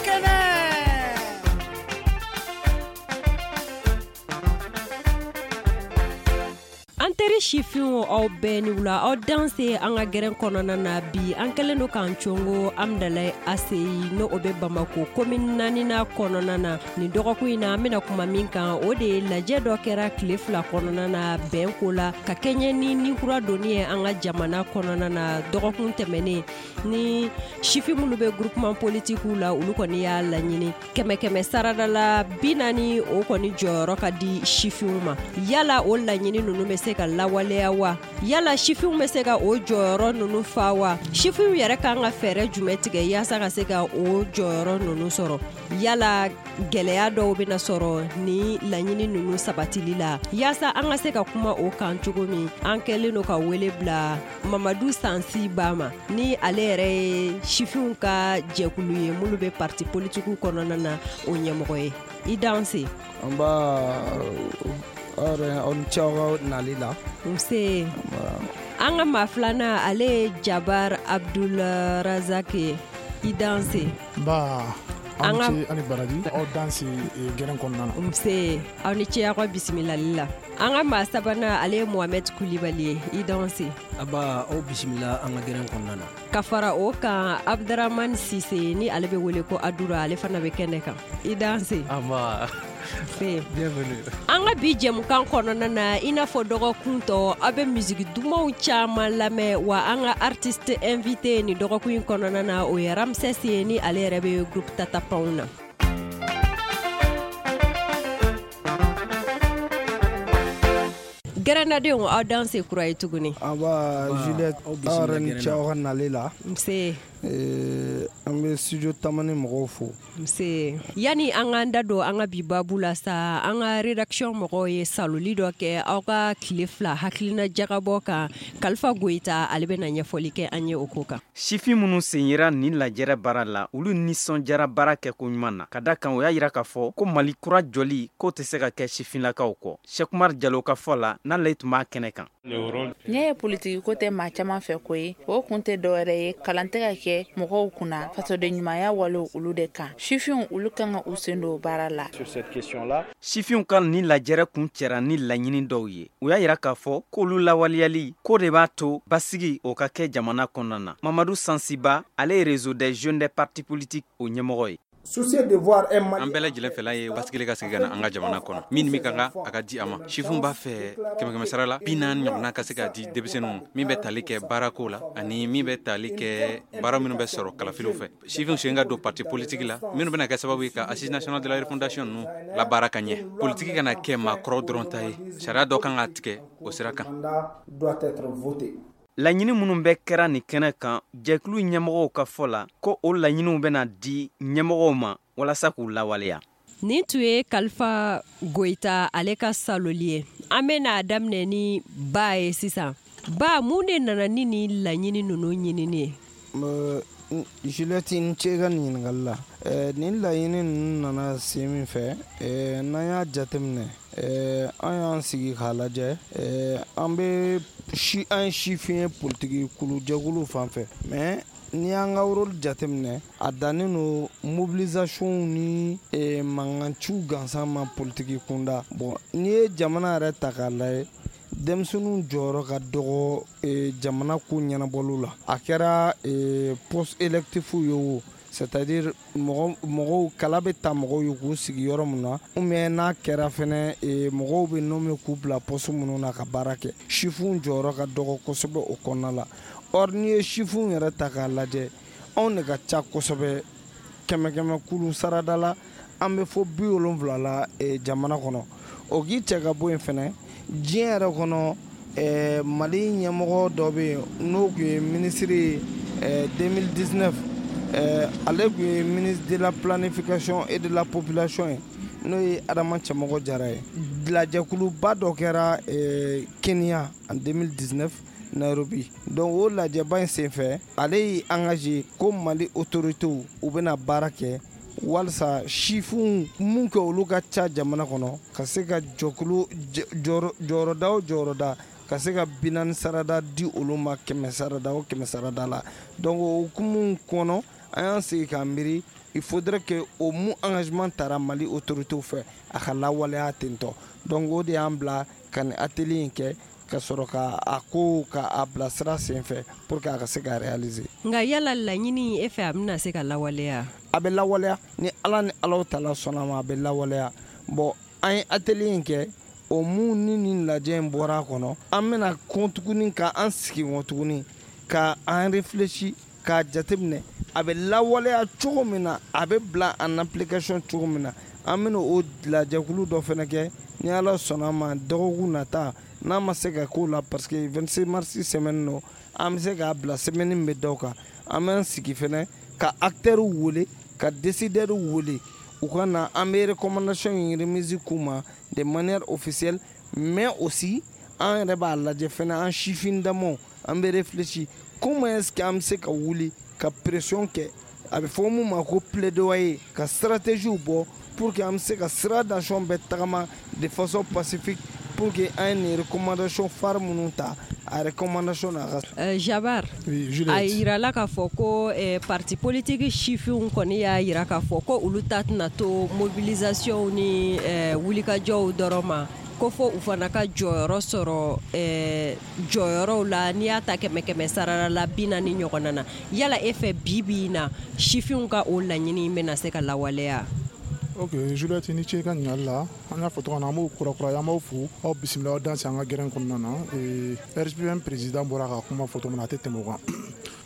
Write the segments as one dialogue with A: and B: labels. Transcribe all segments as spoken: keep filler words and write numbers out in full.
A: Kɛnɛ.
B: An teri sifinw, aw bɛɛ ni wula, aw danse an ka gɛrɛn kɔnɔna na. Bi, an kɛlen don k'an congo Amdalayi A C I, n'o o bɛ Bamako commune naaninan kɔnɔna na. Nin dɔgɔkun in na, an bɛna kuma min kan, o de ye lajɛ dɔ kɛra tile fila kɔnɔna na bɛn ko la, ka kɛɲɛ ni ni kura donni ye an ka jamana kɔnɔna na dɔgɔkun tɛmɛnen. Ni sifin minnu bɛ groupement politiquew la, olu kɔni y'a laɲini kɛmɛ kɛmɛ sarada la bi naani, o kɔni jɔyɔrɔ ka di sifinw ma. Yala o laɲini ninnu bɛ se ka lawaleya wa? Yala sifinw bɛ se ka o jɔyɔrɔ ninnu fa wa? Sifinw yɛrɛ kan ka fɛɛrɛ jumɛn tigɛ yaasa ka se ka o jɔyɔrɔ ninnu sɔrɔ? Yala gɛlɛya dɔw bɛna sɔrɔ ni laɲini ninnu sabatili la? Yaasa an ka se ka kuma o kan cogo min, an kɛlen don ka wele bila Mamadu Sansi Ba ma, ni ale yɛrɛ ye sifinw ka jɛkulu ye minnu bɛ parti politiquew kɔnɔna na, o ɲɛmɔgɔ ye. I danse.
C: Nba, aw yɛrɛ, aw ni ce aw ka nali la.
B: Nse. An ka maa filanan, ale ye Jabar Abdul Razak ye. I danse.
D: Nba.
B: An
D: aw
B: ka-
D: ni ce ani baraji, aw danse eh, gɛrɛn kɔnɔna na.
B: Nse, aw ni ce aw ka bisimilali la. An ka maa sabanan, ale ye Mohamɛd Kulibali ye. I danse.
E: Aba, aw bisimila an ka gɛrɛn kɔnɔna na.
B: Ka fara o kan, Abdramane Sise, ni ale bɛ wele ko Adura, ale fana bɛ kɛnɛ kan. I danse.
F: Aba.
B: Nse.
F: Bienvenue.
B: An ka bi jɛmukan kɔnɔna na, i n'a fɔ dɔgɔkun tɔ, aw bɛ misiki dumanw caman lamɛn. Wa an ka artiste invité nin dɔgɔkun in kɔnɔna na, o ye Ramsès ye, ni ale yɛrɛ bɛ groupe Tatapanw na. Gɛrɛnnadenw, aw danse kura ye tuguni.
C: Aba.
E: Nba,
C: Juliette,
E: aw
C: aw
E: bisimila
C: yɛrɛ ni
E: gɛrɛn
C: ce
E: na.
C: aw ka nali la.
B: Nse.
C: Eh, an bɛ studio Tamani mɔgɔw fo.
B: Nse. Yani an k'an da don an ka bi babu la sa, an ka rédaction mɔgɔw ye saloli dɔ kɛ aw ka tile fila hakilina jagabɔ kan. Kalifa Goyita, ale bɛna ɲɛfɔli kɛ an ye o ko kan.
G: Sifin minnu sen yera nin lajɛrɛ baara la, olu nisɔndiyara baara kɛko ɲuman na, ka da kan o y'a yira k'a fɔ ko Mali kura jɔli k'o tɛ se ka kɛ sifinlakaw kɔ. Sɛkumar Jalo ka fɔ la, n'ale tun b'a kɛnɛ kan.
H: Ɲɛ ye politiki ko tɛ maa caman fɛ ko ye, o kun tɛ dɔwɛrɛ ye, kalan tɛ ka kɛ mɔgɔw kunna fasoden ɲumanya walew olu de kan. Sifinw, olu kan ka u sen don baara la.
G: Sifinw ka nin lajɛrɛ kun cɛra ni laɲini dɔw ye. U y'a yira k'a fɔ k'olu lawaleyali k'o de b'a to basigi o ka kɛ jamana kɔnɔna na. Mamadu Sansiba, ale ye Réseau des jeunes des partis politiques o ɲɛmɔgɔ ye.
F: An bɛɛ lajɛlen fɛla ye basigili ka sigi ka na an ka jamana kɔnɔ. Min min ka kan, a ka di a ma. Sifinw b'a fɛ kɛmɛ kɛmɛ sara la bi naani ɲɔgɔnna ka se ka di denmisɛnninw ma, min bɛ tali kɛ baarako la ani min bɛ tali kɛ baara minnu bɛ sɔrɔ kalafiliw fɛ. Sifinw sen ka don parti politique la, minnu bɛna kɛ sababu ye ka Assise nationale de la refondation ninnu labaara ka ɲɛ. Politiki kana kɛ maakɔrɔw dɔrɔn ta ye. Sariya dɔ kan ka tigɛ o sira kan.
G: Laɲini minnu bɛ kɛra nin kɛnɛ kan, jɛkulu ɲɛmɔgɔw ka fɔ la ko o laɲiniw bɛna di ɲɛmɔgɔw ma walasa k'u lawaleya.
B: Nin tun ye Kalifa Goyita, ale ka saloli ye. An bɛna daminɛ ni Ba ye sisan. Ba, mun de nana ni nin laɲini ninnu ɲinini ye?
C: Euh, Juliette, i ni ce i ka nin ɲininkali la. Eh, nin laɲini ninnu nana sen min fɛ, eh, n'an y'a jateminɛ, eh, an y'an sigi k'a lajɛ, eh, an bɛ si an ye sifin ye politiki kulu jɛkulu fan fɛ, mais n'i y'an ka rôle jateminɛ, a dannen don mobilisation ni eh, mankanciw gansan ma politiki kunda. Bon, n'i ye jamana yɛrɛ ta k'a lajɛ, denmisɛnninw jɔyɔrɔ ka dɔgɔ eh, jamana ko ɲɛnabɔliw la. A kɛra eh, poste électif ye o, c'est-à-dire mɔgɔ mɔgɔw kala bɛ ta mɔgɔw ye k'u sigi yɔrɔ min na, ou bien n'a kɛra fɛnɛ eh, mɔgɔw bɛ nommé k'u bila poste minnu na ka baara kɛ, sifinw jɔyɔrɔ ka dɔgɔ kosɛbɛ o kɔnɔna la. Or n'i ye sifinw yɛrɛ ta k'a lajɛ, anw de ka ca kosɛbɛ. Kɛmɛ kɛmɛ kulu sarada la, an bɛ fɔ bi wolonfila la eh, jamana kɔnɔ. O k'i cɛ ka bɔ yen fɛnɛ, diɲɛ yɛrɛ kɔnɔ, eh, Mali ɲɛmɔgɔ dɔ bɛ yen, n'o tun ye minisiri ye eh, deux mille dix-neuf, eh, ale tun ye ministre de la planification et de la population ye, n'o ye Adama Cɛmɔgɔ Jara ye. Lajɛkuluba dɔ kɛra eh, Kenya en deux mille dix-neuf, Nairobi. Donc o lajɛba in senfɛ, ale y'i engagé ko Mali autorités u bɛna baara kɛ walasa sifinw mun kɛ olu ka ca jamana kɔnɔ, ka se ka jɔkulu jɔyɔrɔda o jɔyɔrɔda, ka se ka bi naani sarada di olu ma, kɛmɛ sarada o kɛmɛ sarada la. Donc o hukumu kɔnɔ, an y'an sigi k'an miiri. Il faudrait que o mun engagement tara Mali autorités fɛ, a ka lawaleya ten tɔ. Donc o de y'an bila ka nin atelier in kɛ, ka sɔrɔ ka a ko ka a bila sira sen fɛ pour que a ka se ka réaliser.
B: Nka yala laɲini e fɛ, a bɛna se ka lawaleya?
C: A bɛ lawaleya ni Ala ni Alaw tala sɔnna ma, a bɛ lawaleya. Bon, an ye atelier in kɛ, o mun ni nin lajɛ in bɔra a kɔnɔ, an bɛna kɔn tuguni ka an sigi kɔn tuguni ka an réfléchir k'a jateminɛ a bɛ lawaleya cogo min na, a bɛ bila en application cogo min na. An bɛna o lajɛkulu dɔ fana kɛ ni Ala sɔnna ma dɔgɔkun nata, n'a ma se ka k'o la, parce que vingt-six mars semaine nɔ, an bɛ se k'a bila semaine min bɛ da o kan. An bɛ an sigi fana ka acteurs wele, ka décideurs wele, u ka na, an bɛ recommandation in remise k'u ma de manière officielle, mais aussi an yɛrɛ b'a lajɛ fana, an sifin damaw, an bɛ réfléchir comment est-ce que an bɛ se ka wuli ka pression kɛ, a bɛ fɔ mun ma ko plaidoyer, ka stratégie bɔ pour que an bɛ se ka sira d'action bɛɛ tagama de façon pacifique pour que an ye nin recommandation phare minnu ta, a recommandation n'a ka.
B: Uh, Jabar,
D: oui,
B: a yirala k'a fɔ ko eh, parti politique sifinw kɔni y'a yira k'a fɔ ko olu ta tɛna to mobilisation ni eh, wulikajɔw dɔrɔn ma, ko fo u fana ka jɔyɔrɔ sɔrɔ eh, jɔyɔrɔw la, n'i y'a ta kɛmɛ kɛmɛ sarala la bi naani ɲɔgɔnna na. Yala e fɛ, bi bi in na, sifinw ka o laɲini bɛna se ka lawaleya?
D: Ok, Juliette, ni ce i ka ɲininkali la. An y'a fɔ cogo min na, an b'o kurakuraya, an b'aw fo, aw bisimila, aw danse an ka gɛrɛn kɔnɔna na. R G P M président bɔra ka kuma fɔ cogo min na, a tɛ tɛmɛ o kan.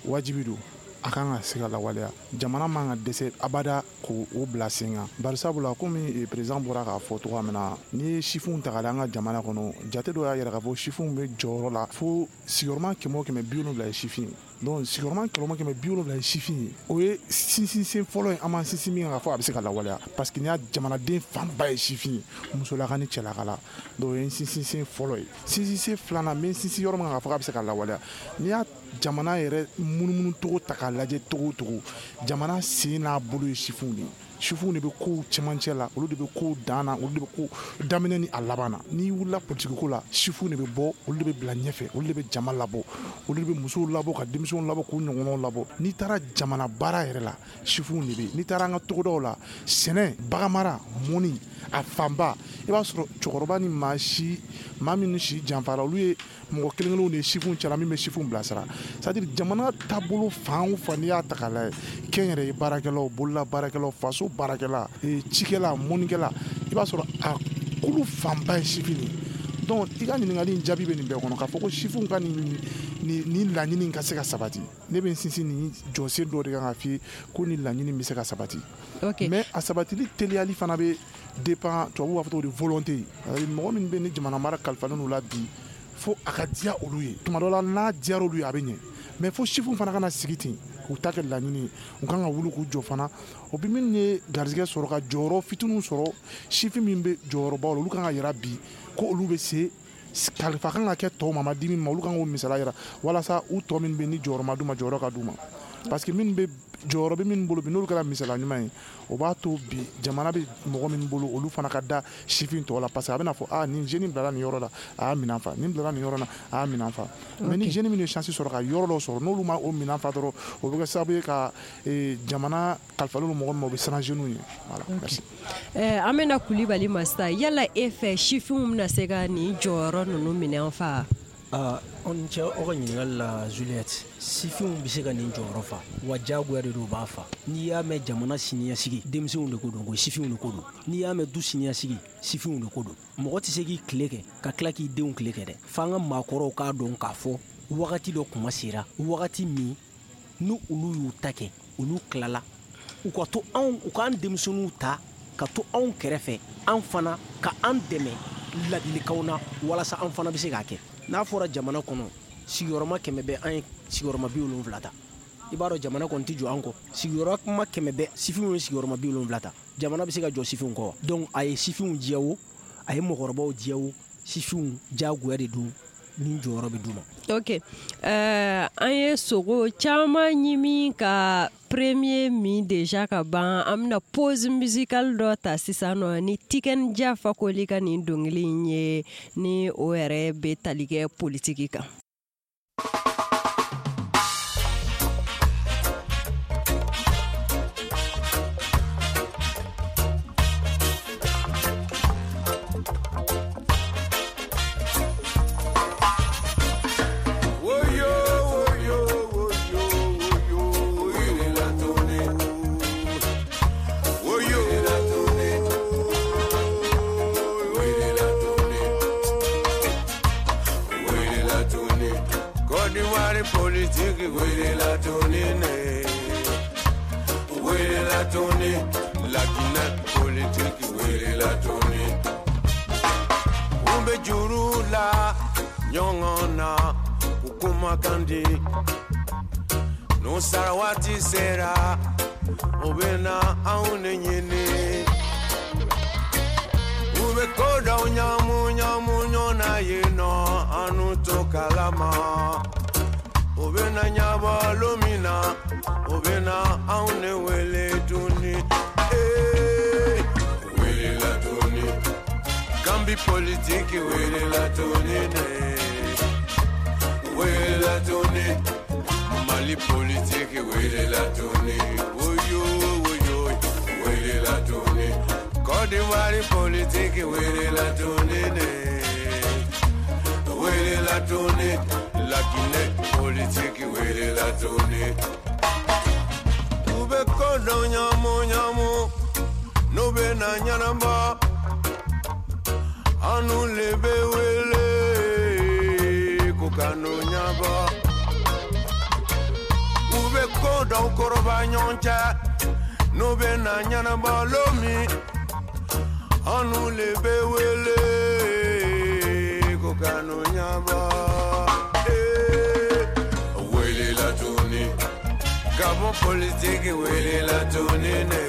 D: Wajibi don, a kan ka se ka lawaleya. Jamana man ka dɛsɛ abada k'o bila sen kan, bari sabula komi président bɔra k'a fɔ cogoya min na, n'i ye sifinw ta k'a lajɛ an ka jamana kɔnɔ, jate dɔ y'a yira k'a fɔ sifinw bɛ jɔyɔrɔ la fo sigiyɔrɔma kɛmɛ o kɛmɛ, bi wolonwula ye sifin ye. Donc sigiyɔrɔma kɛmɛ o kɛmɛ, bi wolonwula ye sifin ye, o ye sinsinsen fɔlɔ ye an b'an sinsin min kan k'a fɔ a bɛ se ka lawaleya, parce que n'i y'a jamanaden fanba ye sifin ye, musolaka ni cɛlaka la. Donc o ye sinsinsen fɔlɔ ye. Sinsinsen filanan, n bɛ sinsin yɔrɔ min kan k'a fɔ k'a bɛ se ka lawaleya, n'i y'a jamana yɛrɛ munumunu cogo ta k'a lajɛ cogo o cogo, jamana sen n'a bolo ye sifinw de ye. Sifinw de bɛ kow cɛmancɛ la, olu de bɛ kow dan na, olu de bɛ ko daminɛ ni a laban na. N'i wulila politiki ko la, sifinw de bɛ bɔ, olu de bɛ bila ɲɛfɛ, olu de bɛ jama labɔ, olu de bɛ musow labɔ, ka denmisɛnw labɔ, k'u ɲɔgɔnnaw labɔ. N'i taara jamana baara yɛrɛ la, sifinw de bɛ yen. N'i taara an ka togodaw la, sɛnɛ, baganmara, mɔni, a fanba i b'a sɔrɔ cɛkɔrɔba ni maa si maa minnu si janfara, olu ye mɔgɔ kelen kelenw de ye sifinw cɛla min bɛ sifinw bilasira. C'est à dire jamana taabolo fan o fan, n'i y'a ta k'a lajɛ, kɛnyɛrɛye baarakɛlaw, bolola baarakɛlaw, faso baarakɛla, cikɛla, mɔnikɛla, i b'a sɔrɔ a kulu fanba ye sifin de ye. Donc i ka ɲininkali in jaabi bɛ nin bɛɛ kɔnɔ, k'a fɔ ko sifinw ka nin nin laɲini ka se ka sabati, ne bɛ n sinsin nin jɔsen dɔ de kan k'a f'i ye ko nin laɲini bɛ se ka sabati.
B: Okay.
D: Mais a sabatili teliyali fana bɛ dépend, tubabuw b'a fɔ cogo di, volonté. Mɔgɔ min bɛ ni jamana mara kalifalen n'u la bi, fo a ka diya olu ye. Tuma dɔ la, n'a diyara olu ye, a bɛ ɲɛ, mais fo sifinw fana kana sigi ten k'u ta kɛ laɲini ye, u kan ka wuli k'u jɔ fana. O bi minnu ye garijɛgɛ sɔrɔ ka jɔyɔrɔ fitininw sɔrɔ, sifin min bɛ jɔyɔrɔbaw la, olu kan ka yira bi ko olu bɛ se kalifa kan ka kɛ tɔw ma, ma di min ma, olu kan k'o misaliya yira walasa u tɔ min bɛ ni jɔyɔrɔ ma d'u ma, jɔyɔrɔ ka d'u ma, parce que minnu bɛ jɔyɔrɔ bɛ minnu bolo bi, n'olu kɛra misaliya ɲuman ye, o b'a to bi jamana bɛ mɔgɔ min bolo, olu fana ka da sifin tɔw la, parce que a bɛna fɔ aa nin jeune bilala nin yɔrɔ la, a y'a minɛn fa, nin bilala nin yɔrɔ la, a y'a minɛn fa. Mais ni jeune min ye chance sɔrɔ ka yɔrɔ dɔ sɔrɔ, n'olu ma o minɛn fa dɔrɔn, o bɛ kɛ sababu ye ka jamana kalifalen don mɔgɔ min ma, o bɛ siran jeunes ye. Voilà, merci.
B: Ɛɛ an bɛna Kulibali ma sisan. Yala e fɛ, sifinw bɛna se ka nin jɔyɔrɔ ninnu minɛn fa?
E: Aa, aw ni ce aw ka ɲininkali la, Juliette. Sifinw bɛ se ka nin jɔyɔrɔ fa wa, diyagoya de don, u b'a fa. N'i y'a mɛn jamana siniɲɛsigi, denmisɛnw de ko don, ko sifinw de ko don. N'i y'a mɛn du siniɲɛsigi, sifinw de ko don. Mɔgɔ tɛ se k'i tile kɛ ka tila k'i denw tile kɛ dɛ. F'an ka maakɔrɔw k'a dɔn k'a fɔ wagati dɔ kuma sera, wagati min ni olu y'u ta kɛ, olu tilala, u ka to anw, u k'an denmisɛnninw ta ka to anw kɛrɛfɛ, an fana ka an dɛmɛ ladilikanw na walasa an fana bɛ se k'a kɛ. N'a fɔra jamana kɔnɔ sigiyɔrɔma kɛmɛ bɛ, an ye sigiyɔrɔma bi wolonwula ta, i b'a dɔn jamana kɔni tɛ jɔ an kɔ. Sigiyɔrɔma kɛmɛ bɛ, sifinw ye sigiyɔrɔma bi wolonwula ta, jamana bɛ se ka jɔ sifinw kɔ wa? Donc a ye sifinw diya o, a ye mɔgɔkɔrɔbaw diya o, sifinw diyagoya de don ni jɔyɔrɔ bɛ d'u ma.
B: Ok, uh, an ye sogo caman ɲimi ka premier min déjà ka ban. An bɛna pause musicale dɔ ta sisan nɔ ni Tiken Jah Fakoly ka nin dɔnkili in ye, ni o yɛrɛ bɛ tali kɛ politiki kan.
A: tuguni, La Guinée politiki welela tuguni. U bɛ juru la ɲɔgɔn na, u kumakan di. N'u sara waati sera, u bɛ na anw de ɲini. U bɛ ko dɔw ɲamu ɲamu ɲɔgɔn na yen nɔ, an n'u t'o kalama. U bɛ na ɲɛbɔ lon min na, u bɛ na anw de wele tuguni. Ee, welela tuguni, Gambi politiki welela tuguni dɛ. Welela tuguni, Mali politiki welela tuguni. Oyo oyo, welela tuguni, Côte d'Ivoire politiki welela tuguni dɛ. Welela tuguni, La Guinée politiki welela tuguni. U bɛ ko dɔ ɲamu ɲamu, n'u bɛ na ɲɛnabɔ, an n'u le bɛ wele ko ka n'o ɲɛnabɔ. U bɛ ko dɔw kɔrɔba ɲɔgɔn cɛ, n'u bɛ na ɲɛnabɔ lon min, an n'u le bɛ wele ko ka n'o ɲɛnabɔ. Ee, welela tuguni, Gabon politiki welela tuguni dɛ.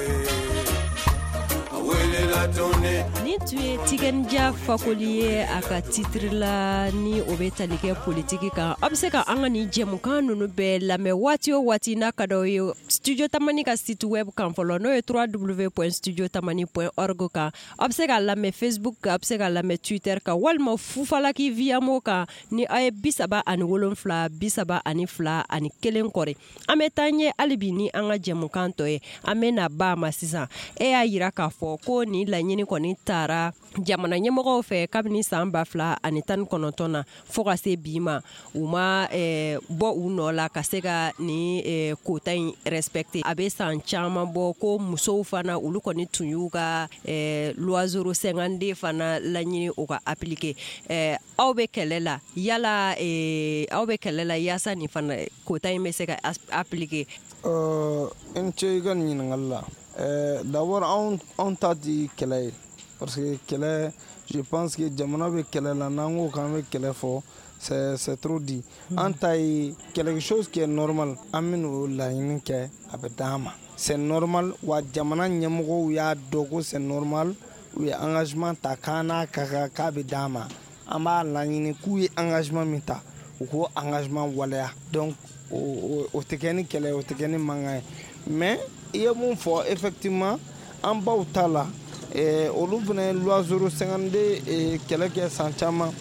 A: Welela tuguni.
B: Nin tun ye Tikenja Fakoli ye a ka titre la, ni o bɛ tali kɛ politiki kan. Aw bɛ se ka an ka nin jɛmukan ninnu bɛɛ lamɛn waati o waati n'a ka d'aw ye Studio Tamani ka site web kan fɔlɔ, n'o ye w w w point studio tamani point org kan. Aw bɛ se k'a lamɛn Facebook kan, aw bɛ se k'a lamɛn Twitter kan, walima Fufalaki Viamo kan ni aw ye bi saba ani wolonfila bi saba ani fila ani kelen kɔri. An bɛ taa ɲɛ hali bi ni an ka jɛmukan tɔ ye. An bɛ na ba ma sisan. E y'a yira k'a fɔ ko nin laɲini kɔni taara jamana ɲɛmɔgɔw fɛ kabini san ba fila ani tan ni kɔnɔntɔn na fo ka se bi ma, u ma eh, bɔ u nɔ la ka se ka nin eh, quota in respecter. A bɛ san caman bɔ ko musow fana olu kɔni tun y'u ka eh, loi zéro cinquante-deux fana laɲini o ka appliquer. Eh, aw bɛ kɛlɛ la yala, eh, aw bɛ kɛlɛ la yaasa nin fana quota in bɛ se ka appliquer?
C: Euh, n ce i ka nin ɲininkali la. Euh, d'abord anw anw ta ti kɛlɛ ye, parce que kɛlɛ, je pense que jamana bɛ kɛlɛ la, n'an ko k'an bɛ kɛlɛ fɔ, c'est c'est trop dit. An ta ye quelque chose qui est normal, an bɛ n'o laɲini kɛ, a bɛ d'an ma, c'est normal. Wa jamana ɲɛmɔgɔw y'a dɔn ko c'est normal, u ye engagement ta k'an n'a ka kan k'a bɛ d'an ma. An b'a laɲini k'u ye engagement min ta, u k'o engagement waleya. Donc o o o tɛ kɛ ni kɛlɛ ye, o tɛ kɛ ni mankan ye. Mais i ye mun fɔ, effectivement an baw ta la, eh, olu fana ye loi zéro cinquante-deux eh, kɛlɛ kɛ san caman.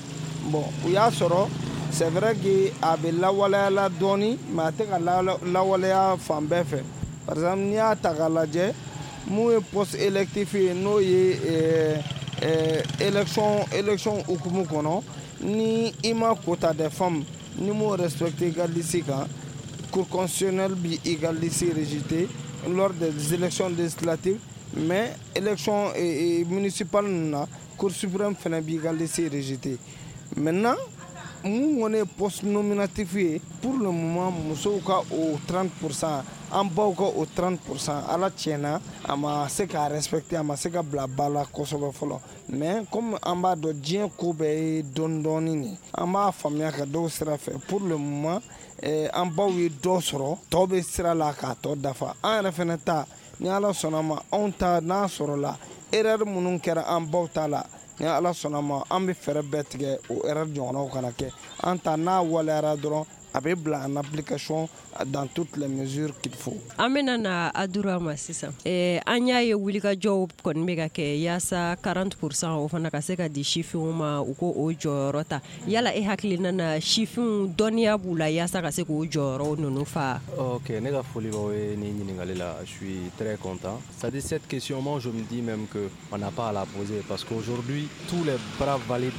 C: Bon, u y'a sɔrɔ, c'est vrai que a bɛ lawaleya la dɔɔni, mais a tɛ ka lawaleya fan bɛɛ fɛ. Par exemple, n'i y'a ta k'a lajɛ, mun ye poste électif ye, n'o ye eh, eh, élection élection hukumu kɔnɔ, ni i ma quota des femmes, ni m'o respecté i ka liste kan, Cour constitutionnelle bi i ka liste rejeté lors des élections législatives. Mais élection eh, eh, municipale ninnu na, Cour suprême fana b'i ka liste rejeté. Maintenant, mun kɔni ye poste nominatif ye, pour le moment musow ka o trente pour cent, an baw ka o trente pour cent, ala tiɲɛna a ma se k'a respecter, a ma se ka bila ba la kosɛbɛ fɔlɔ. Mais comme an b'a dɔn diɲɛ ko bɛɛ ye dɔɔni dɔɔni de, an b'a faamuya ka dɔw sira fɛ. Pour le moment eh, an baw ye dɔ sɔrɔ, tɔ bɛ sira la k'a tɔ dafa. An yɛrɛ fɛnɛ ta, ni ala sɔnna ma, anw ta n'a sɔrɔla erreur minnu kɛra an baw ta la, ni ala sɔnna ma, an bɛ fɛɛrɛ bɛɛ tigɛ o erreur ɲɔgɔnnaw kana kɛ. An ta n'a waleyara dɔrɔn, a bɛ bila en application dans toutes les mesures qu'il faut.
B: An bɛna na Adura ma sisan. Eh, an y'a ye wulikajɔw kɔni bɛ ka kɛ yaasa quarante pour cent o fana ka se ka di sifinw ma, u ko o jɔyɔrɔ ta. Yala e hakilina na, sifinw dɔnniya b'u la yaasa ka se k'o jɔyɔrɔ ninnu fa?
I: Ok, ne ka foli b'aw ye nin ɲininkali la, je suis très content. C'est-à-dire cette question, moi je me dis même que on n'a pas à la poser, parce qu'aujourd'hui tous les bras valides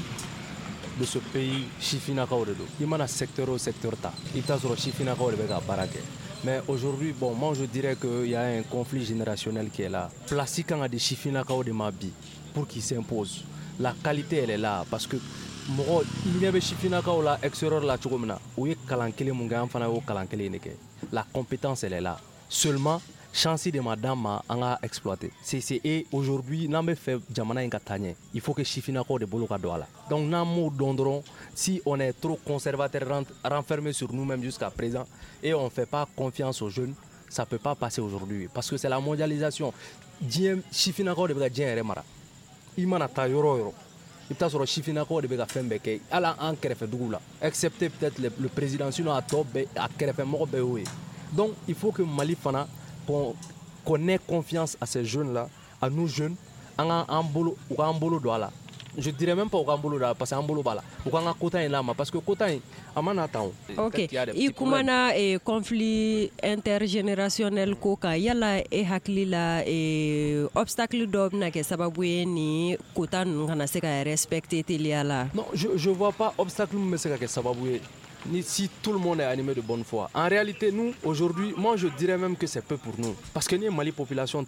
I: de ce pays sifinnakaw de don. I mana secteur o secteur ta, i bɛ taa sɔrɔ sifinnakaw de bɛ ka baara kɛ. Mais aujourd'hui, bon, moi je dirais qu'il y a un conflit générationnel qui est là. Place kan ka di sifinnakaw de ma bi pour qu'ils s'imposent. La qualité, elle est là, parce que mɔgɔ i ɲɛ bɛ sifinnakaw la extérieur la cogo min na, u ye kalan kelen mun kɛ, an fana y'o kalan kelen de kɛ. La compétence, elle est là. Seulement Chance de ma d'an ma an ka exploiter. C'est c'est et aujourd'hui n'an bɛ fɛ jamana in ka taa ɲɛ, il faut que sifinnakaw de bolo ka don a la. Donc n'an m'o dɔn dɔrɔn, si on est trop conservateur, renfermé sur nous-mêmes jusqu'à présent et on fait pas confiance aux jeunes, ça peut pas passer aujourd'hui parce que c'est la mondialisation. Diɲɛ sifinnakaw de bɛ ka diɲɛ yɛrɛ mara. I mana taa yɔrɔ o yɔrɔ, i bɛ taa sɔrɔ sifinnakaw de bɛ ka fɛn bɛɛ kɛ, hali an kɛrɛfɛ dugu la, excepté peut-être le, le président, sinon a tɔ bɛɛ, a kɛrɛfɛmɔgɔ bɛɛ y'o ye. Donc il faut que Mali fana qu'on qu'on ait confiance à ces jeunes là, à nous jeunes, an ka an bolo, u k'an bolo don a la. Je dirais même pas u k'an bolo don a la parce que an bolo b'a la, u k'an ka quota in d'a ma parce que quota in a ma na tan o.
B: Ok, i kumana eh, conflit intergénérationnel ko kan, yala e hakili la eh, obstacle dɔ bɛna kɛ sababu ye ni quota ninnu kana se ka respecter teliya la?
I: Non, je je vois pas obstacle min bɛ se ka kɛ sababu ye. Ni si tout le monde est animé de bonne foi. En réalité, nous, aujourd'hui, moi je dirais même que c'est peu pour nous. Parce que nous, Mali population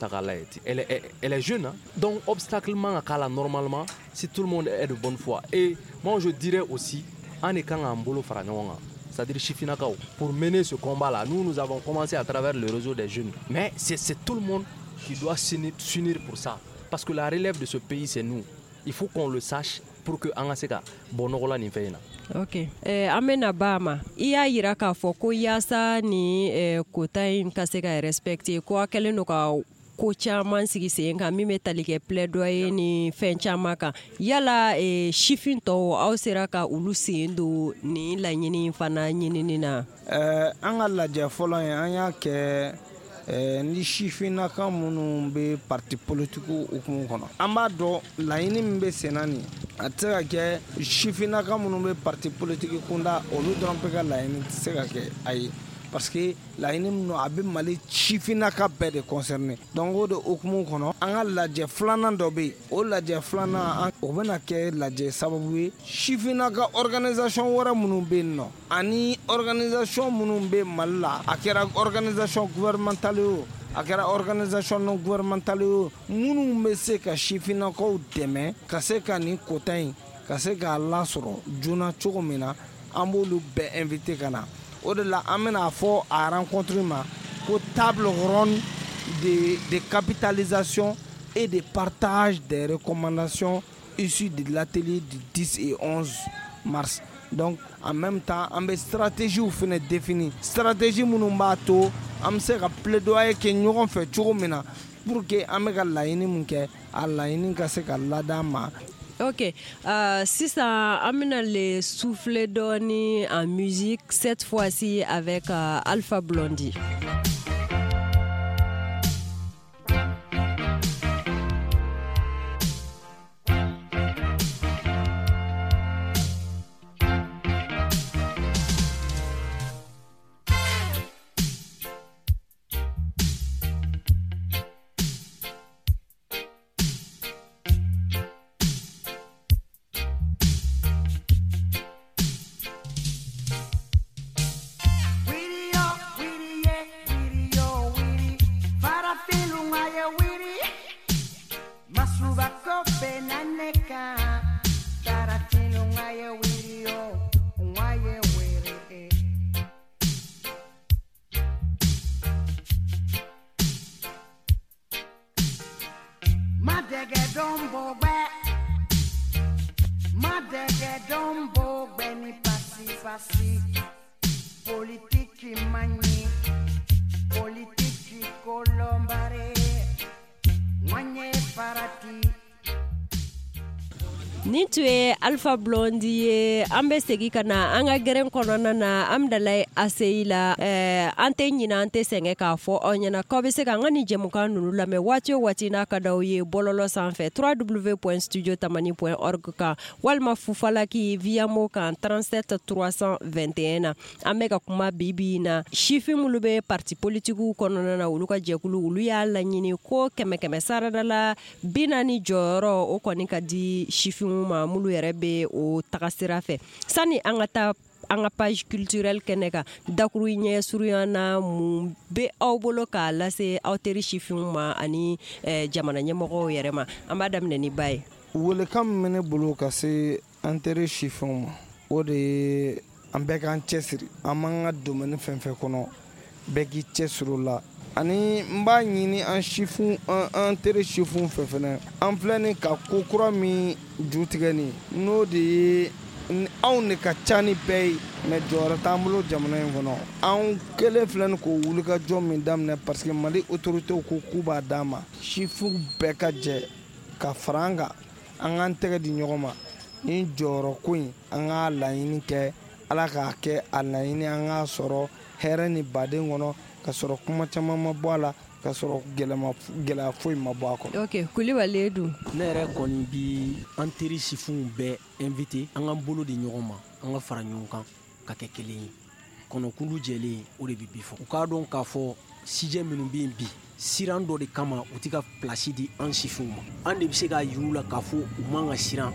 I: elle est, elle est jeune. Hein? Donc, obstacle man normalement, si tout le monde est de bonne foi. Et moi je dirais aussi, en étant en bolo fara ɲɔgɔn kan, c'est-à-dire sifinnakaw, pour mener ce combat-là, nous, nous avons commencé à travers le réseau des jeunes. Mais c'est, c'est tout le monde qui doit s'unir pour ça. Parce que la relève de ce pays, c'est nous. Il faut qu'on le sache pour que an ka se ka bɔ nɔgɔ la nin fɛn in na.
B: Ok, eh, an bɛna ba ma. I y'a yira k'a fɔ ko yaasa ni eh, quota in ka se ka respecter, ko a kɛlen don ka ko caman sigi sen kan min bɛ tali kɛ plaidoyer ni fɛn caman kan. Yala eh, sifin tɔw aw sera ka olu sen don nin laɲini fana ɲinini na?
C: Eh, an ka lajɛ fɔlɔ in an y'a kɛ Eh, ni sifinnaka minnu bɛ parti politique hukumu kɔnɔ. An b'a dɔn laɲini min bɛ sen na nin, a tɛ se ka kɛ sifinnaka minnu bɛ parti politique kunda olu dɔrɔn bɛ ka laɲini tɛ se ka kɛ a ye, parce que laɲini min don a bɛ Mali sifinnaka bɛɛ de concerné. Donc o de hukumu kɔnɔ an ka lajɛ filanan dɔ bɛ yen, o lajɛ filanan o bɛna kɛ lajɛ sababu ye sifinnaka organisation wɛrɛ minnu bɛ yen nɔ ani organisation minnu bɛ Mali la, a kɛra organisation gouvernementale ye o, a kɛra organisation non gouvernementale ye o, minnu bɛ se ka sifinnakaw dɛmɛ ka se ka nin quota in ka se k'a lasɔrɔ joona cogo min na, an b'olu bɛɛ invité ka na. O de la an bɛna fɔ a rencontre ma ko table ronde de, de capitalisation et de partage des recommandations issues de l'atelier du dix et onze mars. Donc en même temps an bɛ stratégie fana définir, stratégie minnu b'a to an bɛ se ka plaidoyer kɛ ɲɔgɔn fɛ cogo min na pour que an bɛ ka laɲini min kɛ a laɲini ka se ka lad'an ma.
B: Ok, euh, sisan an bɛna le souffler dɔɔni en musique, cette fois-ci avec euh, Alpha Blondy. Nin tun ye Alpha Blondy ye. An bɛ segin ka na an ka gɛrɛn kɔnɔna na Amdalaye A C I la. Ɛɛ an tɛ ɲinɛ an tɛ sɛgɛn k'a fɔ aw ɲɛna k'aw bɛ se ka an ka nin jɛmukan ninnu lamɛn waati o waati n'a ka d'aw ye bɔlɔlɔ sanfɛ w w w point studio tamani point org kan walima Fufalaki Viamo kan trente-sept trois cent vingt et un na. An bɛ ka kuma bi bi in na sifin minnu bɛ parti politikiw kɔnɔna na, olu ka jɛkulu olu y'a laɲini ko kɛmɛ kɛmɛ sarada la bi naani jɔyɔrɔ o kɔni ka di sifin ma minnu yɛrɛ bɛ o tagasira fɛ. Sani an ka taa an ka page culturelle kɛnɛ kan, dakuru ɲɛ surunya na mun bɛ aw bolo k'a lase aw teri sifinw ma ani eh, jamana ɲɛmɔgɔw yɛrɛ ma? An b'a daminɛ ni ba ye.
C: Welekan min bɛ ne bolo ka se an teri sifinw ma, o de ye an bɛɛ k'an cɛsiri. An b'an ka domaine fɛn fɛn kɔnɔ, bɛɛ k'i cɛsiri o la. Ani n b'a ɲini an sifin an an teri sifinw fɛ fɛnɛ, an filɛ nin ka ko kura min ju tigɛ nin, n'o de ye anw de ka ca ni bɛɛ ye, mais jɔyɔrɔ t'an bolo jamana in kɔnɔ. Anw kelen filɛ nin k'o wulikajɔ min daminɛ, parce que Mali autorités ko k'u b'a d'an ma, sifinw bɛɛ ka jɛ ka fara an kan, an k'an tɛgɛ di ɲɔgɔn ma ni jɔyɔrɔ ko in, an k'a laɲini kɛ, Ala k'a kɛ a laɲini an k'a sɔrɔ hɛrɛ ni baden kɔnɔ, ka sɔrɔ kuma caman ma bɔ a la, ka sɔrɔ gɛlɛya foyi ma bɔ a kɔnɔ.
B: Ok, Kulibali dun?
E: Ne yɛrɛ kɔni bi an teri sifinw bɛɛ invité an k'an bolo di ɲɔgɔn ma, an ka fara ɲɔgɔn kan ka kɛ kelen ye. Kɔnɔkulu jɛlen o de bɛ bi fɔ. U k'a dɔn k'a fɔ sijɛ minnu bɛ yen bi, siran dɔ de kama u tɛ ka place di an sifinw ma. An de bɛ se k'a yir'u la k'a fɔ u man ka siran.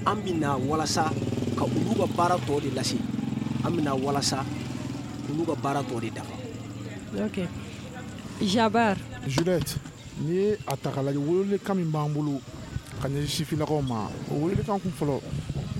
E: An bɛ na walasa ka olu ka baara tɔ de lase, an bɛ na walasa olu ka baara tɔ de dafa.
B: Ok, Jabar.
D: Juliette, n'i ye a ta k'a lajɛ, welelikan min b'an bolo ka ɲɛsin sifinnakaw ma, o welelikan kun fɔlɔ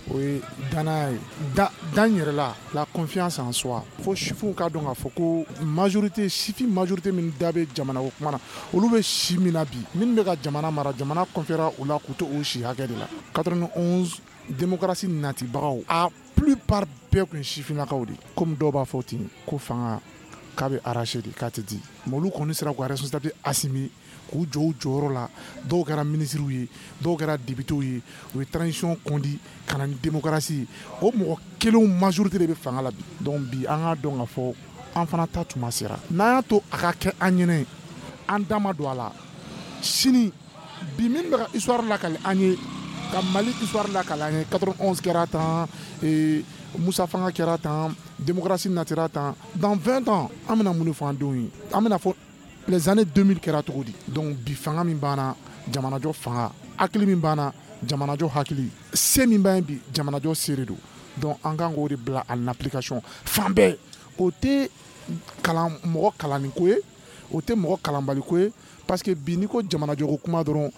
D: o ye danaya ye, da dan yɛrɛ la, la confiance en soi. Fo sifinw k'a dɔn k'a fɔ ko majorité, sifin majorité min da bɛ jamana ko kuma na, olu bɛ si min na bi, minnu bɛ ka jamana mara, jamana conféra u la k'u to o si hakɛ de la. quatre-vingt-onze démocratie natibagaw, a plupart bɛɛ tun ye sifinnakaw de ye. Komi dɔw b'a fɔ ten ko fanga k'a bɛ arraché de, k'a tɛ di, mais olu kɔni sera k'u ka responsabilité assumer, k'u jɔ u jɔyɔrɔ la. Dɔw kɛra ministres ye, dɔw kɛra députés ye, u ye transition conduit ka na ni démocratie ye. O mɔgɔ kelenw majorité de bɛ fanga la bi. Donc bi an k'a dɔn k'a fɔ an fana ta tuma sera. N'an y'a to a ka kɛ an ɲɛnɛ, an da ma don a la, sini bi min bɛ ka histoire lakali an ye, ka Mali histoire lakali an ye, quatre-vingt-onze kɛra tan, Moussa Fanga kɛra tan, démocratie natira tan, dans vingt ans an bɛna mun de fɔ an denw ye? An bɛna fɔ les années deux mille kɛra cogo di? Donc bi fanga min banna, jamanajɔ fanga, hakili min banna, jamanajɔ hakili, se min b'an ye bi, jamanajɔ se de don. Donc an kan k'o de bila en application fan bɛɛ. O tɛ kalan mɔgɔ kalanni ko ye, o tɛ mɔgɔ kalanbali ko ye, parce que bi n'i ko jamanajɔ ko kuma dɔrɔn,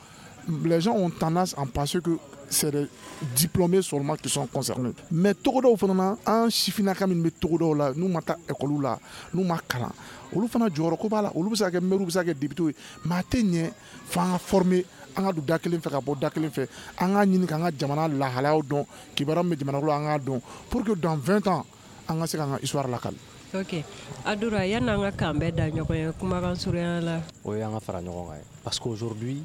D: les gens ont tendance à penser que c'est les diplômés seulement qui sont concernés. Mais togodaw fana na, an sifinnaka minnu bɛ togodaw la, n'u ma taa école la, n'u ma kalan, olu fana jɔyɔrɔ ko b'a la. Olu bɛ se ka kɛ maire, bɛ se ka kɛ député ye, mais a tɛ ɲɛ f'an ka former, an ka don da kelen fɛ ka bɔ da kelen fɛ, an k'a ɲini k'an ka jamana lahalayaw dɔn, kibaruya min bɛ jamana kɔnɔ an k'a dɔn, pour que dans vingt ans an ka se k'an ka histoire lakali.
B: Ok, Adoura, yan'an ka kan bɛɛ da ɲɔgɔn ye, kumakan surunya la.
I: O ye an ka fara ɲɔgɔn kan ye, parce qu'aujourd'hui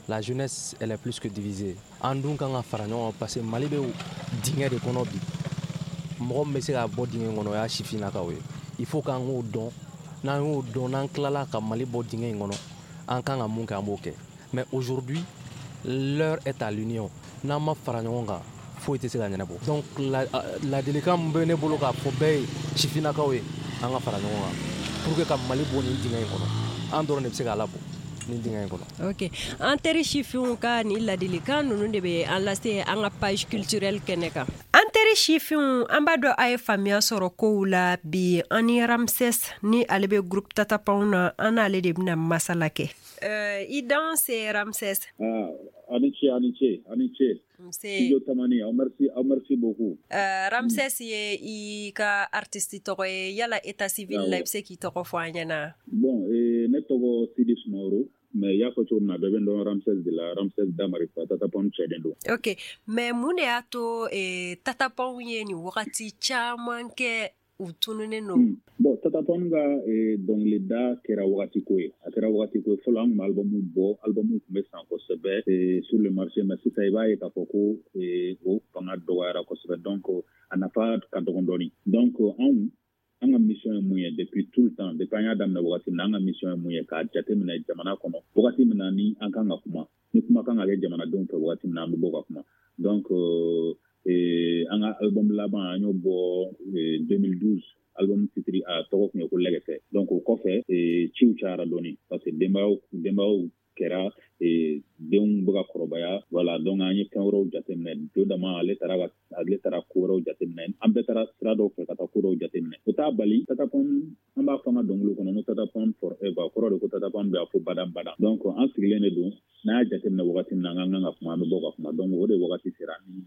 I: la jeunesse, elle est plus que divisée. An dun kan ka fara ɲɔgɔn kan, parce que Mali bɛ dingɛ de kɔnɔ bi. Mɔgɔ min bɛ se ka bɔ dingɛ kɔnɔ, o y'a sifinnakaw ye. Il faut k'an k'o dɔn. N'an y'o dɔn, n'an tilala ka Mali bɔ dingɛ in kɔnɔ, an kan ka mun kɛ, an b'o kɛ. Mais aujourd'hui, l'heure est à l'union. N'an ma fara ɲɔgɔn kan, foyi tɛ se ka ɲɛnabɔ. Donc ladilikan min bɛ ne bolo k'a fɔ bɛɛ ye, sifinnakaw ye, an ka fara ɲɔgɔn kan pour que ka Mali bɔ nin dingɛ in kɔnɔ. An dɔrɔn de bɛ se k'a labɔ nin dingɛ in kɔnɔ.
B: Ok, an teri sifinw ka nin ladilikan ninnu de bɛ an lase an ka page culturelle kɛnɛ kan. An teri sifinw, an b'a dɔn a ye faamuya sɔrɔ kow la bi. An ni Ramses ni ale bɛ groupe Tatapanw na, an n'ale de bɛna masala kɛ. Euh, i danse Ramses.
J: Ah, ani ce, ani ce, ani ce. Studio Tamani, aw merci, aw merci beaucoup.
B: Euh, Ramses ye i ka artiste tɔgɔ ye, yala état civil la, i bɛ se k'i tɔgɔ fɔ an ɲɛna?
J: Bon, eh, ne tɔgɔ Sidi Sumaworo, mais i y'a fɔ cogo min na, bɛɛ bɛ n dɔn Ramses de la, Ramses Damarifa, Tatapanw cɛden don.
B: Ok, mais mun de y'a to eh, Tatapanw ye nin wagati caman kɛ u tununnen don?
J: Mm. Bon, Tatapanw ka eh, dɔnkilida kɛra wagati ko ye. A kɛra wagati ko ye. Fɔlɔ an tun bɛ album bɔ, album tun bɛ san kosɛbɛ eh, sur le marché, mais sisan i b'a ye k'a fɔ ko eh, o fanga dɔgɔyara kosɛbɛ, donc a nafa ka dɔgɔn dɔɔni. Donc anw an ka mission ye mun ye depuis tout le temps, depuis an y'a daminɛ wagati min na, an ka mission ye mun ye, k'a jateminɛ jamana kɔnɔ wagati min na ni an kan ka kuma, ni kuma kan ka kɛ jamanadenw fɛ wagati min na, an bɛ bɔ ka kuma. Donc euh, an ka album laban an y'o bɔ deux mille douze, album titre a tɔgɔ tun ye ko Lɛgɛsɛ. Donc o kɔfɛ ciw cayara dɔɔni, parce que denbayaw denbayaw kɛra, denw bɛ ka kɔrɔbaya, voilà. Donc an ye fɛn wɛrɛw jateminɛ. Jo dama ale taara ale taara ko wɛrɛw jateminɛ, an bɛɛ taara sira dɔw fɛ ka taa ko dɔw jateminɛ. O t'a bali Tatapanw An b'a fɔ an ka dɔnkili kɔnɔ ko Tatapam forever, kɔrɔ de ko Tatapam bɛ a fɔ badan badan. Donc an sigilen de don, n'a y'a jateminɛ wagati min na an ka kan ka kuma, an bɛ bɔ ka kuma. Donc o de wagati sera ni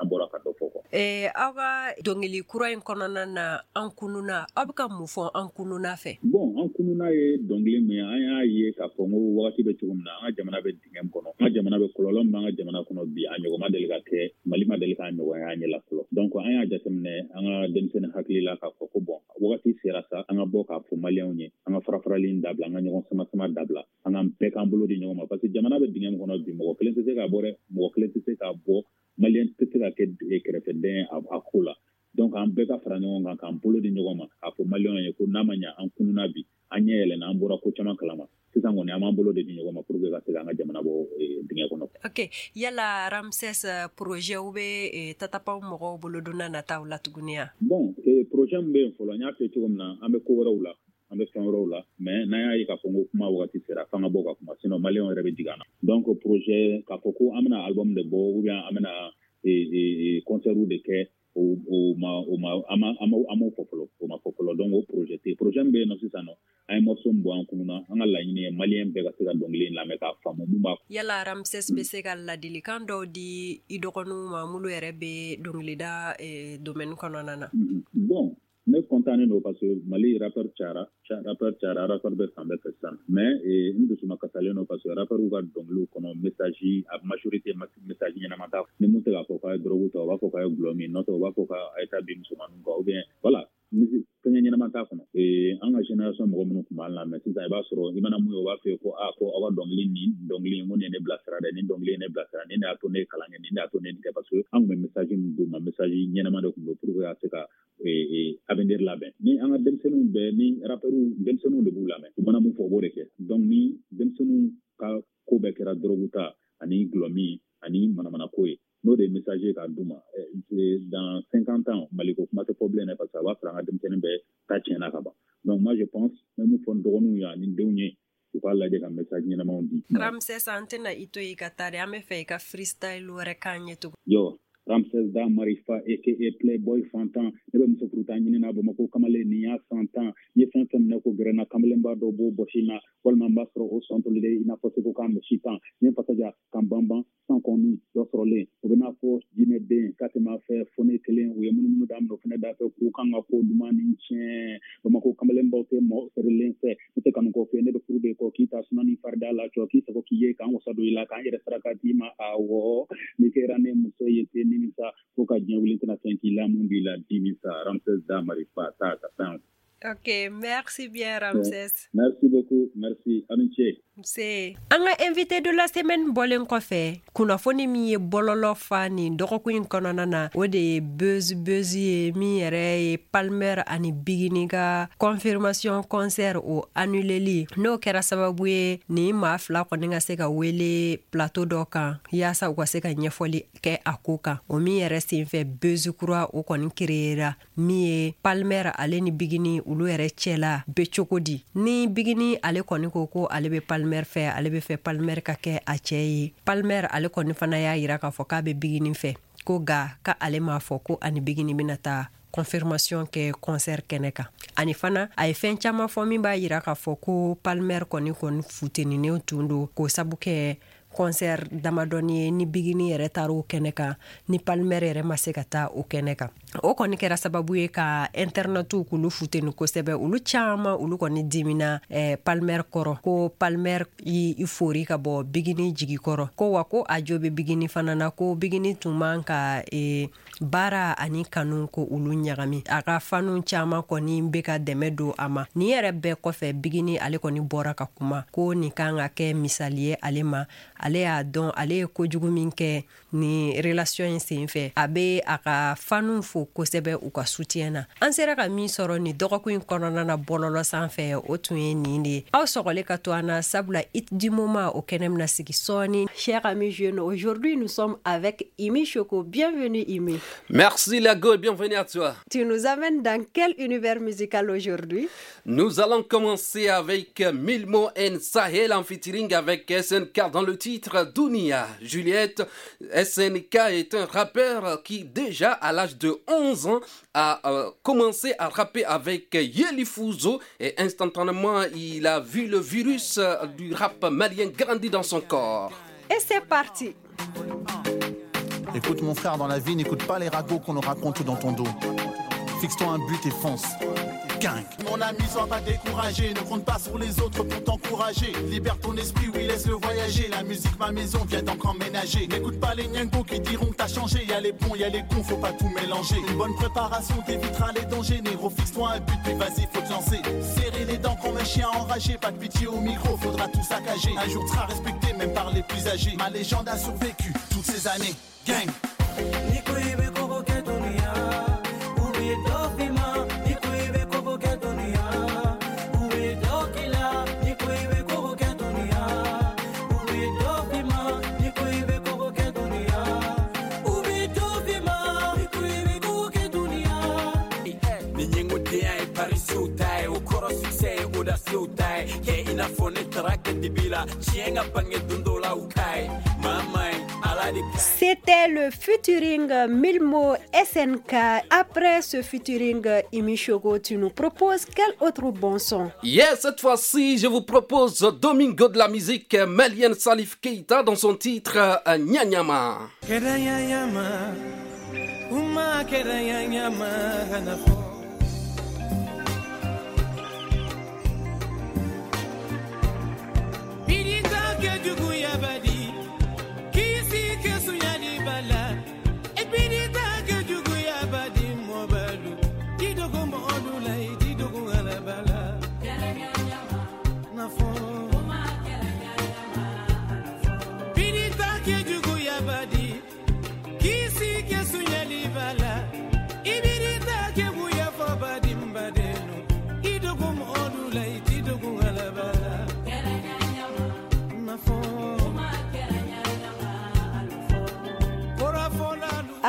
J: an bɔra ka dɔ fɔ quoi.
B: Eh, aw ka dɔnkili kura in kɔnɔna na, an kununa, aw bɛ ka mun fɔ an kununa fɛ?
J: Bon, an kununa ye dɔnkili min ye, an y'a ye k'a fɔ n ko wagati bɛ cogo min na, an ka jamana bɛ dingɛ min kɔnɔ, an ka jamana bɛ kɔlɔlɔ min b'an ka jamana kɔnɔ bi, a ɲɔgɔn ma deli ka kɛ, Mali ma deli k'a ɲɔgɔn ye an ɲɛ la fɔlɔ. Donc an y'a jateminɛ an ka denmisɛnnin hakili la k'a fɔ ko bon, wagati sera sa, an ka bɔ k'a fɔ maliyɛnw ye, an ka farafarali in dabila, an ka ɲɔgɔn sama sama dabila, an ka bɛɛ k'an bolo di ɲɔgɔn ma, parce que jamana bɛ dingɛ min kɔnɔ bi, mɔgɔ kelen tɛ se k'a bɔ dɛ, mɔgɔ kelen tɛ se k'a bɔ, maliyɛn tɛ se ka kɛ kɛrɛfɛdɛn ye a ko la. Donc an bɛɛ ka fara ɲɔgɔn kan, k'an bolo di ɲɔgɔn ma, k'a fɔ maliyɛnw ye ko n'a ma ɲɛ an kununa bi, an ɲɛ yɛlɛnna, an bɔra ko caman kalama. Sisan kɔni an b'an bolo de di ɲɔgɔn ma pour que ka se k'an ka jamana bɔ dingɛ kɔnɔ.
B: Ok, yala Ramses, projet bɛ Tatapam mɔgɔw bolo don n'a nataw la tuguni wa?
J: Bon, projet min bɛ yen fɔlɔ, n y'a fɔ cogo min na, an bɛ ko wɛrɛw la, an bɛ fɛn wɛrɛw la, mais n'an y'a ye k'a fɔ ko kuma wagati sera, f'an ka bɔ ka kuma, sinon maliyɛnw yɛrɛ bɛ jigin an na. Donc projet k'a fɔ ko an bɛna album de bɔ ou bien an bɛna concert de kɛ, o ma o ma an ma an m'o fɔ fɔlɔ, o ma fɔ fɔlɔ. Donc o projet tɛ yen. Projet min bɛ yen nɔ sisan nɔ, an ye morceau min bɔ an kunna, an ka laɲini ye maliyɛn bɛɛ ka se ka dɔnkili in lamɛn k'a faamu mun b'a.
B: Yala Ramses bɛ se ka ladilikan dɔw di i dɔgɔninw ma minnu yɛrɛ bɛ dɔnkilida domaine kɔnɔna na?
J: Bon, ne content don parce que Mali rappeur cayara, rappeur cayara, rappeur bɛ fan bɛɛ fɛ sisan. Mais n dusuma kasalen don parce que rappeur ka dɔnkiliw kɔnɔ message, a majorité message ɲɛnama t'a. Ni mun tɛ k'a fɔ k'a ye drogue ta, u b'a fɔ k'a ye gulɔ min, n'o tɛ u b'a fɔ k'a ye taa bin musomaninw kan, ou bien voilà, fɛngɛ ɲɛnama t'a kɔnɔ. An ka génération mɔgɔ minnu tun b'an lamɛn sisan, i b'a sɔrɔ i mana mun ye, u b'a fɔ ko aa ko aw ka dɔnkili nin dɔnkili in ko nin ye ne bilasira dɛ, nin dɔnkili ye ne bilasira, nin de y'a to ne ye kalan kɛ, nin de y'a to ne nin kɛ, parce que an tun bɛ message min d'u ma, message ɲɛnama de tun don pour que ka se ka avenir labɛn. Ni an ka denmisɛnninw bɛɛ, ni rappeurs denmisɛnninw de b'u lamɛn, u mana mun fɔ u b'o de kɛ. Donc ni denmisɛnninw ka ko bɛɛ kɛra drogue ta ani gulɔ min ani manamanako ye, n'o de ye message ye k'a d'u ma, dans cinquante ans Mali ko kuma tɛ fɔ bilen dɛ, parce que a b'a sɔrɔ an ka denmisɛnnin bɛɛ ta tiɲɛna ka ban. Donc moi je pense, n bɛ mun fɔ n dɔgɔninw ye ani n denw ye, u k'a lajɛ ka message ɲɛnamaw di.
B: Ramses, an tɛna i to i ka taa dɛ, an bɛ fɛ i ka freestyle wɛrɛ k'an ye tugun.
J: Yo, Ramses da Marifa aka Playboy fantan, ne bɛ muso furuta ɲini na Bamakɔ kamalen nin y'a san tan, n ye fɛn fɛn minɛ ko gɛrɛna kamalenba dɔ b'o bɔsi na, walima n b'a sɔrɔ o sɔn tolilen i n'a fɔ seko k'a misi tan, n ye fasaja k'an banban san kɔni dɔ sɔrɔlen, o bɛ n'a fɔ jinɛ den k'a tɛ m'a fɛ fo ne kelen, u ye munumunu daminɛ o fɛnɛ da fɛ k'u kan ka ko duman ni tiɲɛ. Bamakɔ kamalenbaw tɛ mɔgɔ feerelen fɛ, ne tɛ kanu kɔ fɛ, ne bɛ furu de kɔ, k'i ta suma ni farida la cɔ, k'i sago k'i ye k'an wasa don i la, k'an yɛrɛ saraka d'i ma, awɔ n'i kɛra ne muso ye ten nimisa, fo ka diɲɛ wuli tɛna fɛn k'i la mun b'i la dimisa. Ramses da Marifa ta ka tan.
B: Ok, merci bien Ramses.
J: Merci beaucoup, merci. Aw ni ce.
B: Nse. An ka invité de la semaine bɔlen kɔfɛ, kunnafoni min ye bɔlɔlɔ fa nin dɔgɔkun in kɔnɔna na, o de ye buzz buzz ye min yɛrɛ ye Palmer ani Bigini ka confirmation concert o annuleli. N'o kɛra sababu ye nin maa fila kɔni ka se ka wele plateau dɔ kan yaasa u ka se ka ɲɛfɔli kɛ a ko kan. O min yɛrɛ senfɛ buzz kura o kɔni créera min ye Palmer ale ni Bigini olu yɛrɛ cɛla bɛ cogo di. Ni Bigini ale kɔni ko ko ale bɛ Palmer fɛ, ale bɛ fɛ Palmer ka kɛ a cɛ ye. Palmer ale kɔni fana y'a yira k'a fɔ k'a bɛ Bigini fɛ, ko nka k'ale m'a fɔ ko ani Bigini bɛna taa confirmation kɛ concert kɛnɛ kan. Ani fana a ye fɛn caman fɔ min b'a yira k'a fɔ ko Palmer kɔni kɔni futeninen tun don k'o sabu kɛ concert damadɔni ye ni Bigini yɛrɛ taara o kɛnɛ kan, ni Palmer yɛrɛ ma se ka taa o kɛnɛ kan. O kɔni kɛra sababu ye ka internetw k'olu futeni kosɛbɛ, olu caman olu kɔni dimina eh, Palmer kɔrɔ, ko Palmer y'i fori ka bɔ Bigini jigi kɔrɔ, ko wa ko a jo bɛ Bigini fana na, ko Bigini tun man ka eh, baara ani kanu ko olu ɲagami. A ka fanu caman kɔni bɛ ka dɛmɛ don a ma. Nin yɛrɛ bɛɛ kɔfɛ Bigini ale kɔni bɔra ka kuma ko nin kan ka kɛ misali ye ale ma, ale y'a dɔn ale ye kojugu min kɛ ni relation in senfɛ, a bɛ a ka fanu fo kosɛbɛ u ka soutien na. An sera ka min sɔrɔ nin dɔgɔkun in kɔnɔna na bɔlɔlɔ sanfɛ, o tun ye nin de ye. Aw sɔgɔli ka to an na, sabula hit du moment o kɛnɛ bɛna sigi sɔɔni. Chers amis jeunes, aujourd'hui nous sommes avec Imi Choco. Bienvenue Imi.
K: Merci Lago et bienvenue à toi.
B: Tu nous amènes dans quel univers musical aujourd'hui?
K: Nous allons commencer avec Milmo and Sahel en featuring avec S N K dans le titre titre Dunia. Juliette, S N K est un rappeur qui déjà à l'âge de onze ans a euh, commencé à rapper avec Yeli Fuzo et instantanément il a vu le virus du rap malien grandir dans son corps.
B: Et c'est parti.
L: Écoute mon frère, dans la vie, n'écoute pas les ragots qu'on nous raconte dans ton dos. Fixe-toi un but et fonce. Gang. Mon ami, sois pas découragé, ne compte pas sur les autres pour t'encourager. Libère ton esprit, oui, laisse-le voyager. La musique, ma maison, viens donc emménager. N'écoute pas les nyangos qui diront que t'as changé. Y'a les bons, y'a les cons, faut pas tout mélanger. Une bonne préparation t'évitera les dangers. Négro, fixe-toi un but, puis vas-y, faut te lancer. Serrer les dents comme un chien enragé. Pas de pitié au micro, faudra tout saccager. Un jour t'seras respecté, même par les plus âgés. Ma légende a survécu toutes ces années. Gang.
B: C'était le featuring Milmo S N K. Après ce featuring, Imi Chogo, tu nous proposes quel autre bon son?
K: Yes, cette fois-ci, je vous propose Domingo de la musique malienne Salif Keita dans son titre Nyanyama.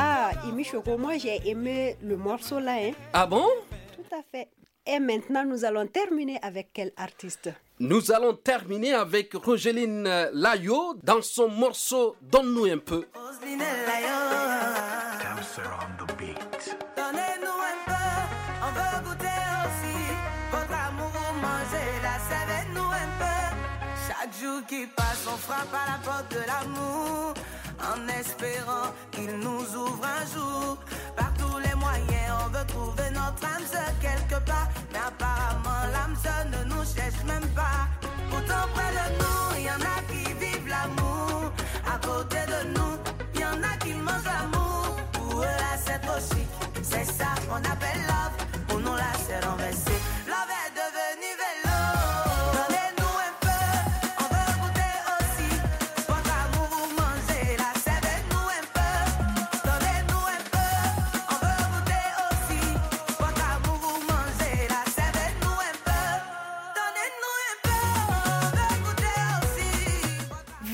B: Ah, Imi Chogo, moi j'ai aimé le morceau là. Hein?
K: Ah bon?
B: Tout à fait. Et maintenant, nous allons terminer avec quel artiste?
K: Nous allons terminer avec Rogeline Layo dans son morceau Donne-nous un peu.
A: Rogeline Layo. Donnez-nous un peu, on veut goûter aussi. Votre amour, manger la savez-nous un peu. Chaque jour qui passe, on frappe à la porte de l'amour, en espérant qu'il nous ouvre un jour. Par tous les moyens, on veut trouver notre âme sœur quelque part, mais apparemment l'âme sœur ne nous cherche même pas. Pourtant près de nous, il y en a qui vivent l'amour. À côté de nous, il y en a qui mangent l'amour. Pour eux là c'est trop chic, c'est ça qu'on appelle love. Pour nous là c'est renversé, love est devenu vélo.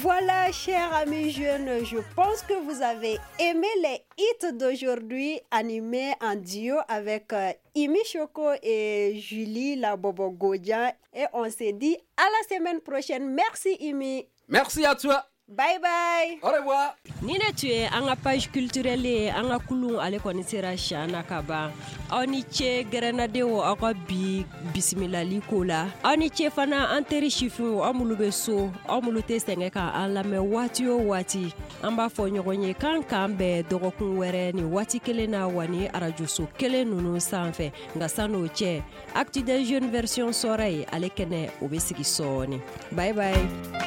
B: Voilà, chers amis jeunes, je pense que vous avez aimé les hits d'aujourd'hui animés en duo avec Imi Choco et Julie la Bobo Godja. Et on se dit à la semaine prochaine. Merci Imi.
K: Merci à toi.
B: Bye bye.
K: Au revoir.
B: Ni ne tun ye an ka page culturelle ye, an ka kulun ale kɔni sera sian na ka ban. Aw ni ce gɛrɛnnadenw, aw ka bi bisimilali ko la. Aw ni ce fana an teri sifinw, aw minnu bɛ so, aw minnu tɛ sɛgɛn ka an lamɛn waati o waati. An b'a fɔ ɲɔgɔn ye k'an k'an bɛn dɔgɔkun wɛrɛ ni waati kelen na wa ni arajoso kelen ninnu sanfɛ. Nka san'o cɛ, Actu des Jeunes version sɔrɔ ye ale kɛnɛ o bɛ sigi sɔɔni. Bye bye.